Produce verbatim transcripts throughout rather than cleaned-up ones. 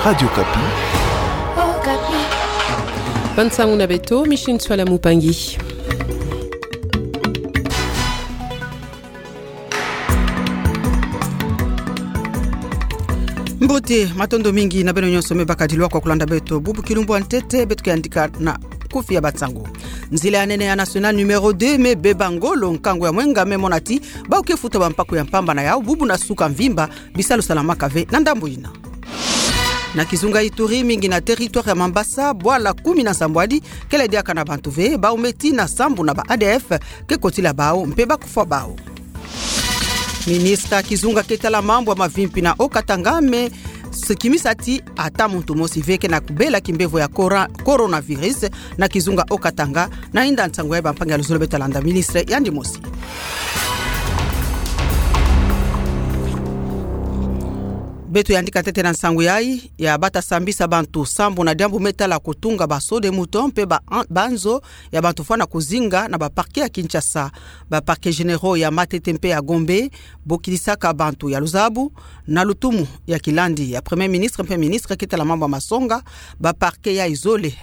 Radio Okapi. Bansangu na beto, Micheline Ntsoila Mupangi. Mbote, matondo mingi na beno nyonso me bakadilwa kwa kulanda beto. Bubu kilumbu ya ntete, beto ke yandika na kufi ya bansangu. Nzila ya nene ya nationale numéro deux me beba ngolo, nkangu ya Mwenga me mona ti bau ke futa bampaku ya mpamba na yau, bubu na suka mvimba, bisalu salamaka ve na ndambu yina. Na kizunga Ituri, mingi na territoire ya Mambasa, bwala kumi na nsambwadi kele diaka na bantu ve, bau me tina sambu na ba A D F ke kotila bau mpe bakufwa bau. Ministre ya kizunga ke tala mambu ya mavimpi na Haut-Katanga me kimisa ti ata muntu mosi ve ke na kubela kimbevo ya cora-, coronavirus na kizunga Haut-Katanga. Na inda nsangu yai, bampangi ya luzolo, beto landa ministre yandi mosi. Beto yandika ntete na nsangu yai, ya bata sambisa bantu sambu na diambu me tala kutunga ba seaux de moutons mpe ba an-, banzo ya bantu fwana kuzinga na ba parquets ya Kinshasa. Ba parquets généraux ya Matete mpe ya Gombe bokilisaka bantu ya luzabu, na lutumu ya kilandi ya Premier Ministre mpe ministre ke tala mambu ya masonga. Ba parquets yai zole,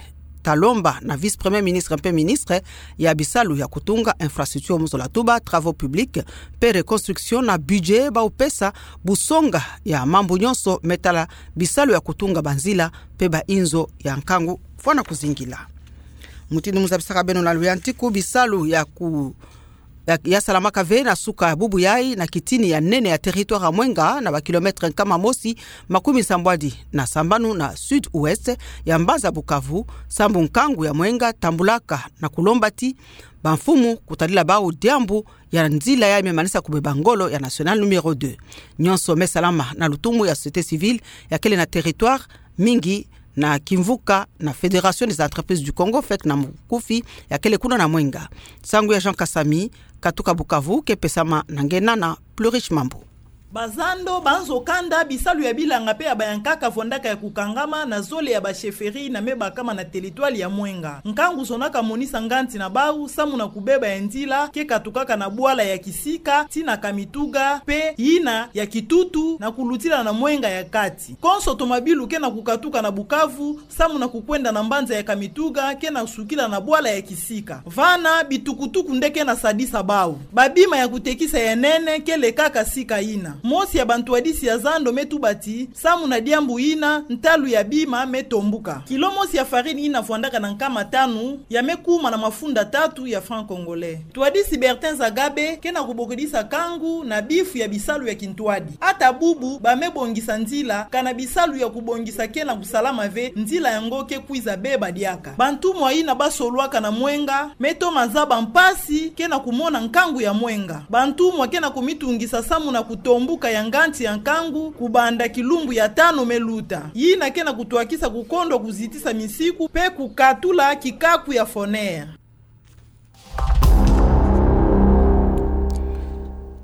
Talomba na vice-premier ministre mpe ministre ya bisalu ya kutunga, infrastructure, mu zola tuba, travaux publics mpe reconstruction, na budget bau pesa busonga ya mambu nyonso me tala bisalu ya kutunga banzila mpe ba inzo ya nkangu fwana kuzingila. Mutindu mu zabisaka beno na luyantiku, bisalu ya ku- ya, ya salamaka ve na suka bubu yai na kitini ya nene ya territoire ya Mwenga, na ba kilomètre nkama mosi makumi nsambwadi na sambanu na sud-ouest ya mbanza Bukavu, sambu nkangu ya Mwenga tambulaka, na kulomba ti bamfumu kutadila bau diambu ya nzila yai me manisa kubeba ngolo ya nationale numéro deux. Nyonso me salama na lutumu ya société civile ya kele na territoire, mingi na kimvuka na Fédération des entreprises du Congo, fek na mukufi, ya kele kuna na Mwenga. Nsangu ya Jean Kasami, katuka Bukavu, ke pesama na ngena na Plurish Mambu. Bazando, banzo kanda, bisalu ya bilanga mpe ya bayankaka fwandaka ya kukangama na zole ya ba chefferies yina me bakama na territoire ya Mwenga. Nkangu zonaka monisa nganzi na bau samu na kubeba ya nzila ke katukaka na bwala ya Kisika tii na Kamituga mpe yina ya Kitutu na kulutila na Mwenga ya kati. Konso tomabilu ke na kukatuka na Bukavu samu na kukwenda na mbanza ya Kamituga ke na sukila na bwala ya Kisika. Vana bitukutuku nde ke na sadisa bau. Babima ya kutekisa ya nene ke lekaka sika yina. Mosi ya bantwadisi ya zando me tuba ti samu na diambu yina, ntalu ya bima me tombuka. Kilo mosi ya farine yina fwandaka na nkama tanu ya me kuma na mafunda tatu ya francs congolais. Ntwadisi Bertin Zagabe ke na kubokidisa nkangu na bifu ya bisalu ya kintwadi. Ata bubu ba me bongisa nzila, kana bisalu ya kubongisa ke na kusalama ve, nzila yango ke kwiza beba diaka. Bantumwa yina ba solwaka na Mwenga me toma zaba mpasi ke na kumona nkangu ya Mwenga. Bantumwa ke na kumitungisa samu na kutombuka ya nganzi ya nkangu kubanda kilumbu ya tanu me luta, yina ke na kutwakisa kukondwa kuzitisa misiku mpe kukatula kikaku ya Foner.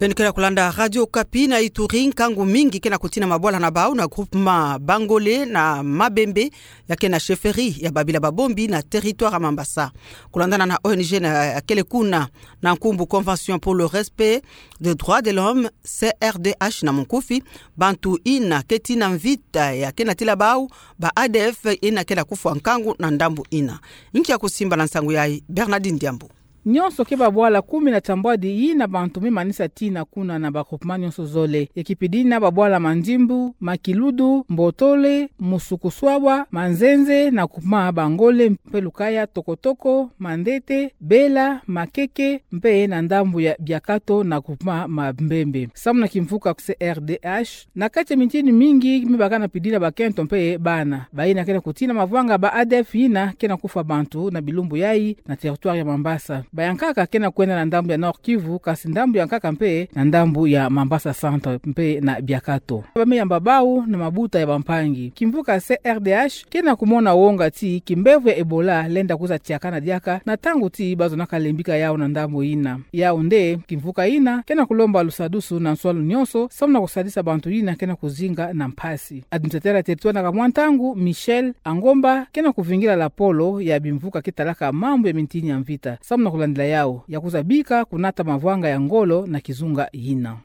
Beno ke na kulanda Radio Okapi. Na Ituri, nkangu mingi ke na kutina mabwala na bau na groupement Bangole na Mabembe, ya ke na chefferie ya Babila Babombi na territoire ya Mambasa. Kulandana na O N G na, ya kele kuna na nkumbu Convention pour le respect des droits de l'homme, C R D H na munkufi, bantu yina ke tina mvita ya ke na tila bau ba A D F yina ke na kufwa nkangu na ndambu yina. Nki ya kusimba na nsangu yai? Bernardine Diambu. Nyonso ke babwala kumi na tambwadi yina bantu me manisa tina kuna na ba groupement nyonso zole. Ekipi dina babwala Mandimbu, Makiludu, Mbotole, Musukuswabwa, Manzenze na groupement Bangole, mpe Lukaya, Tokotoko, Mandete, Bela, Makeke, mpe na ndambu ya Biakato na groupement Mabembe. Samu na kimvuka C R D H, na kati ya mintini mingi me baka na pidila bakento mpe bana. Bayina ke na kutina mavwanga ba A D F yina ke na kufwa bantu na bilumbu yai na territoire ya Mambasa. Bayankaka ke na kwenda na ndambu ya Nord-Kivu, kasi ndambu ya nkaka mpe na ndambu ya Mambasa Centre mpe na Biakato. Ba me yamba bau na mabuta ya bampangi. Kimvuka C R D H ke na kumona wonga ti kimbevo ya Ebola lenda kwiza tiakana diaka na ntangu ti ba zonaka lembika yau na ndambu yina. Yau nde kimvuka yina ke na kulomba lusadusu na nswalu nyonso, samu na kusadisa bantu yina ke na kuzinga na mpasi. Administrateur ya territoire na kamwa ntangu, Michel Angomba, ke na kuvingila lapolo ya bimvuka ke talaka mambu ya mintini ya mvita, samu na kulandila yau, ya kwiza bika kunata mavwanga ya ngolo na kizunga yina.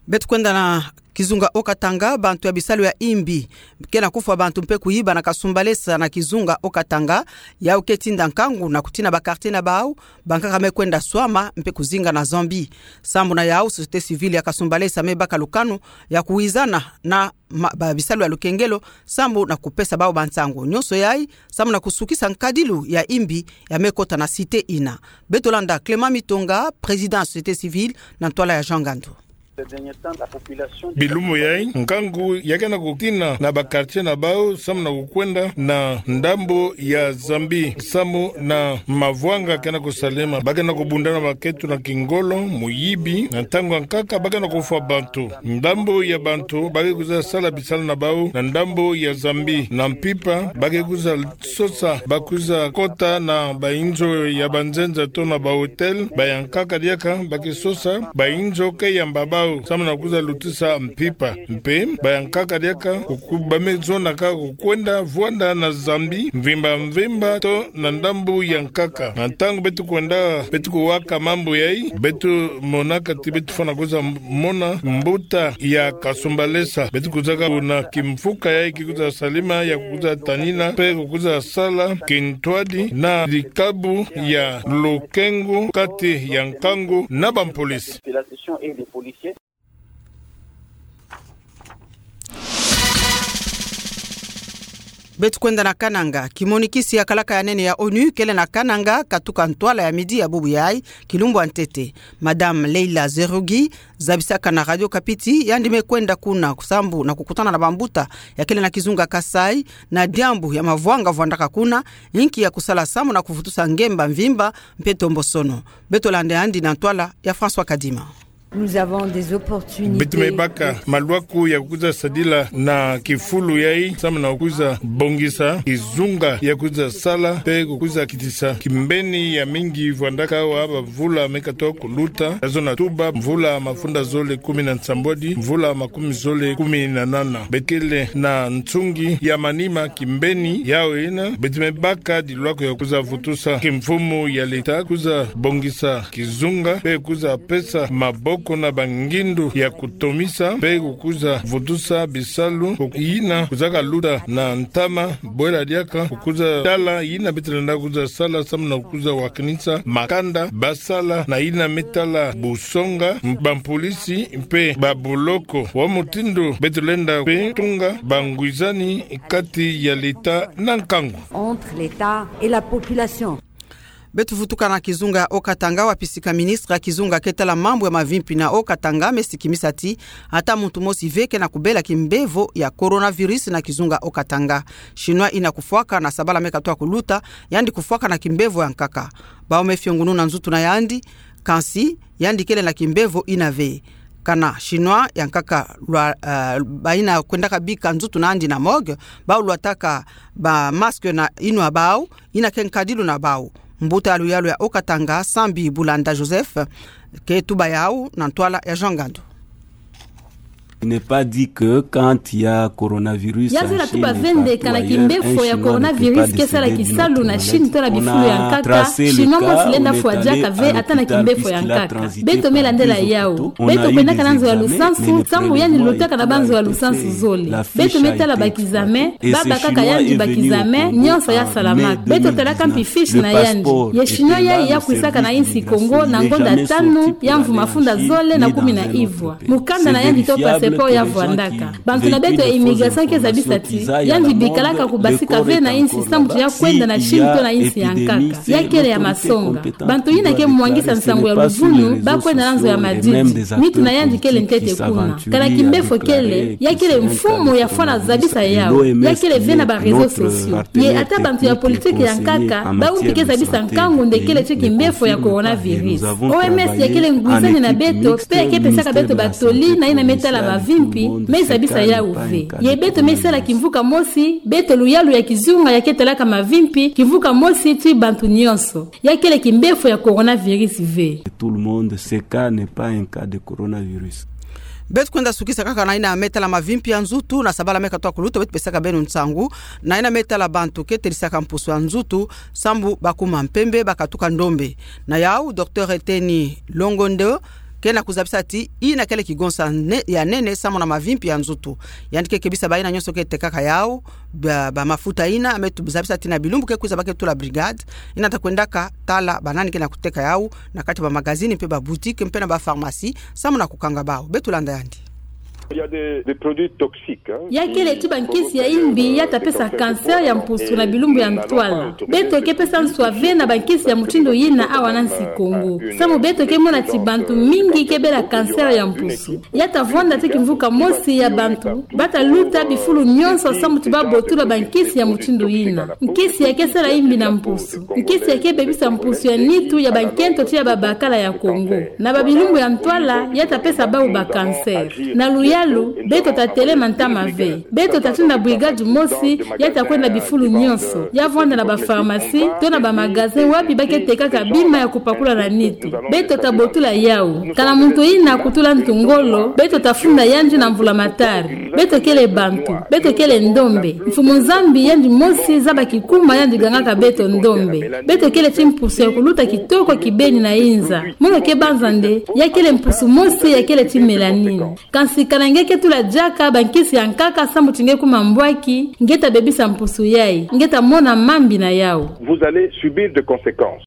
Beto kwenda na kizunga Haut-Katanga, bantu ya bisalu ya imbi ke na kufwa bantu mpe kuyiba na Kasumbalesa na kizunga Haut-Katanga, yau ke tinda nkangu na kutina ba quartier na bau, bankaka me kwenda swama mpe kuzinga na Zambie. Sambu na yau, société civile ya Kasumbalesa me baka lukanu ya kuwizana na ma-, ba bisalu ya lukengelo, sambu na kupesa bau bansangu nyonso yai, sambu na kusukisa nkadilu ya imbi ya me kota na cité ina. Beto landa Clément Mitonga, président ya société civile, na ntwala ya Jean Ngandu. Bilumbu yai, nkangu ya ke na kutina na ba quartier na bau, sambu na kukwenda na ndambu ya Zambie, sambu na mavwanga ke na kusalema, ba ke na kubundana maketo na kingolo, muyibi, na ntangu ya nkaka ba ke na kufwa bantu. Ndambu ya bantu ba ke kwiza sala bisalu na bau na ndambu ya Zambie. Na mpimpa ba ke kwiza sosa, ba kwiza kota na bainzo ya banzenza to na ba hôtel, bayankaka diaka ba ke sosa bainzo ke yamba bau, sambu na kwiza lutisa mpimpa. Mpe bayankaka diaka kuku-, ba me zonaka kukwenda vwanda na Zambie mvimba mvimba to na ndambu ya nkaka. Na ntangu beto kwenda, beto kuwaka mambu yai, beto monaka ti beto fwana kwiza mona mbuta ya Kasumbalesa. Beto kwizaka na kimfuka yai ki kwiza salima ya kwiza tanina mpe kwiza sala kintwadi na dikabu ya lukengu kati ya nkangu na bampolisi. Beto kwenda na Kananga. Kimonikisi ya kalaka ya nene ya ONU kele na Kananga, katuka ntwala ya midi ya bubu yai, kilumbu ya ntete. Madame Leila Zerougui, zabisaka na Radio Okapi ti yandi me kwenda kuna sambu na kukutana na bambuta ya kele na kizunga Kasaï, na diambu ya mavwanga vwandaka kuna, inki ya kusala sambu na kuvutusa ngemba mvimba mpe tombosono. Beto landa yandi na ntwala ya François Kadima. Nous avons des opportunités. Beto me baka malwaku ya kwiza sadila na kifulu yai, sambu na kwiza bongisa kizunga ya kwiza sala mpe kwiza kitisa kimbeni ya mingi vwandaka awa bamvula me katoka kuluta, ya zona tuba mvula mafunda zole kumi na nsambwadi, mvula makumi zole kumi na nana. Beto kele na nsungi ya manima kimbeni yau ina, beto me baka dilwaku ya kwiza vutusa kimfumu ya leta, kwiza bongisa kizunga, mpe kwiza pesa maboko na bangindu ya kutomisa, mpe kwiza vutusa bisalu yina kwizaka luta na ntama, bwela diaka kwiza tala yina beto lenda kwiza sala sambu na kwiza wakinisa makanda basala na yina me tala busonga, bampolisi mpe babuloko. Wa mutindu beto lenda mpe tunga bangwizani kati ya leta na nkangu. Entre l'État et la population. Beto vutuka na kizunga ya Haut-Katanga, wapi sika ministre ya kizunga ke tala mambu ya mavimpi na Haut-Katanga me sikimisa ti ata muntu mosi ve ke na kubela kimbevo ya coronavirus na kizunga Haut-Katanga. Chinois ina kufwaka na sabala me katoka kuluta, yandi kufwaka na kimbevo ya nkaka. Bau me fiongunu na nzutu na yandi, kansi yandi kele na kimbevo ina ve. Kana Chinois ya nkaka lwa, eh, baina kwendaka bika nzutu na yandi na morgue, bau lwataka ba masque na yinwa bau, ina ke nkadilu na bau. Mbuta ya luyalu ya Haut-Katanga, Sambi Bulanda Joseph, ke tuba yau na ntwala ya Jean Ngandu. Il n'est pas dit que quand il y a coronavirus en Chine, il y a trois heures, un Chinois ne peut pas décéder d'une autre maladie. On a tracé le cas, on a identifié les cas, on a été à l'hôpital puisqu'il a transité par dix hôpitaux. On a eu des examens, mais le premier mois, il a été fait. La fiche a été exploitée. Et ces Chinois, ils étaient venus au Congo en mai deux mille dix-neuf. Le passeport était là, le service d'immigration n'est jamais sorti de la Chine, ni dans son pays. Mukanda na yandi to passeport ya vwandaka. Bantu na beto ya immigration ke zabisa ti yandi bikalaka kubasika ve na insi sambu ya kwenda na Chine to na insi ya nkaka. Ya kele ya masonga. Bantu yina ke mwangisa nsangu ya luvunu, ba kwenda na nzo ya madidi. Nitu na yandi kele ntete kuna. Kana kimbefo kele, ya kele mfumu ya fwana zabisa yau. Ya kele ve na ba réseaux sociaux. Ye ata bantu ya politiki ya nkaka, bau mpi ke zabisa nkangu nde kele ti kimbefo ya coronavirus. O M S ya kele ngwizani na beto, mpe ya ke pesaka beto batoli na yina me tala mavimpi, me zabisa yau ve. Ye beto me sala kimvuka mosi, beto luyalu ya kizunga ya ke talaka mavimpi, kimvuka mosi ti bantu nyonso. Ya kele kimbefo ya coronavirus ve. Tout le monde, ce cas n'est pas un cas de coronavirus. Beto kwenda sukisa kaka na yina me tala mavimpi ya nzutu, na sabala me katoka kuluta, beto pesaka beno nsangu na yina me tala bantu ke talisaka mpusu ya nzutu, sambu bakuma mpembe, bakatuka ndombe. Na yau, Docteur Eteni Longondo, ke na kuzabisa ti ina kele kigonsa ne- ya nene samu na mavimpi ya nzutu. Yandi ke kebisa baina nyonso ke tekaka yau, ba, ba mafuta ina, me tuzabisa ti na bilumbu ke kwiza ba ke tula brigade, ina ta kwendaka tala banani ke na kuteka yau, na kati ba magazini mpe ba boutique mpe na ba pharmacie, samu na kukanga bau. Beto landa yandi. Il y a des, des produits toxiques, hein. Ya kele ti bankisi ya imbi ya ta pesa cancer ya mpusu na bilumbu ya ntwala. Beto ke pesa nswa ve na bankisi ya mutindu yina awa na nsi Kongo. Samu beto ke mona ti bantu mingi ke bela cancer ya mpusu. Ya ta vwanda ti kimvuka mosi ya bantu, ba ta luta bifulu nyonso samu ti ba botula bankisi ya mutindu yina. Nkisi ya ke sala imbi na mpusu. Nkisi ya ke bebisa mpusu ya nitu ya bankento ti ya babakala ya Kongo. Na babilumbu ya ntwala, ya ta pesa bau ba cancer. Na luyalu, beto ta telema ntama ve. Beto ta tinda brigade mosi, ya ta kwenda bifulu nyonso. Ya vwanda na ba pharmacie, to na ba magasin, wapi ba ke tekaka bima ya kupakula na nitu. Beto ta botula yau. Kana muntu yina kutula ntu ngolo, beto ta funda yandi na mbulamatari. Beto kele bantu, beto kele ndombe. Mfumu Nzambi yandi mosi zaba kikuma yandi gangaka beto ndombe. Beto kele ti mpusu ya kuluta kitoko kibeni na inza. Mono ke banza nde, ya kele mpusu mosi ya kele ti mélanine. Kansi kana nge ke tula diaka bankisi ya nkaka samu ti nge kuma mbwaki, nge ta bebisa mpusu yayi, nge ta mona mambi na yau. Vous allez subir de conséquences.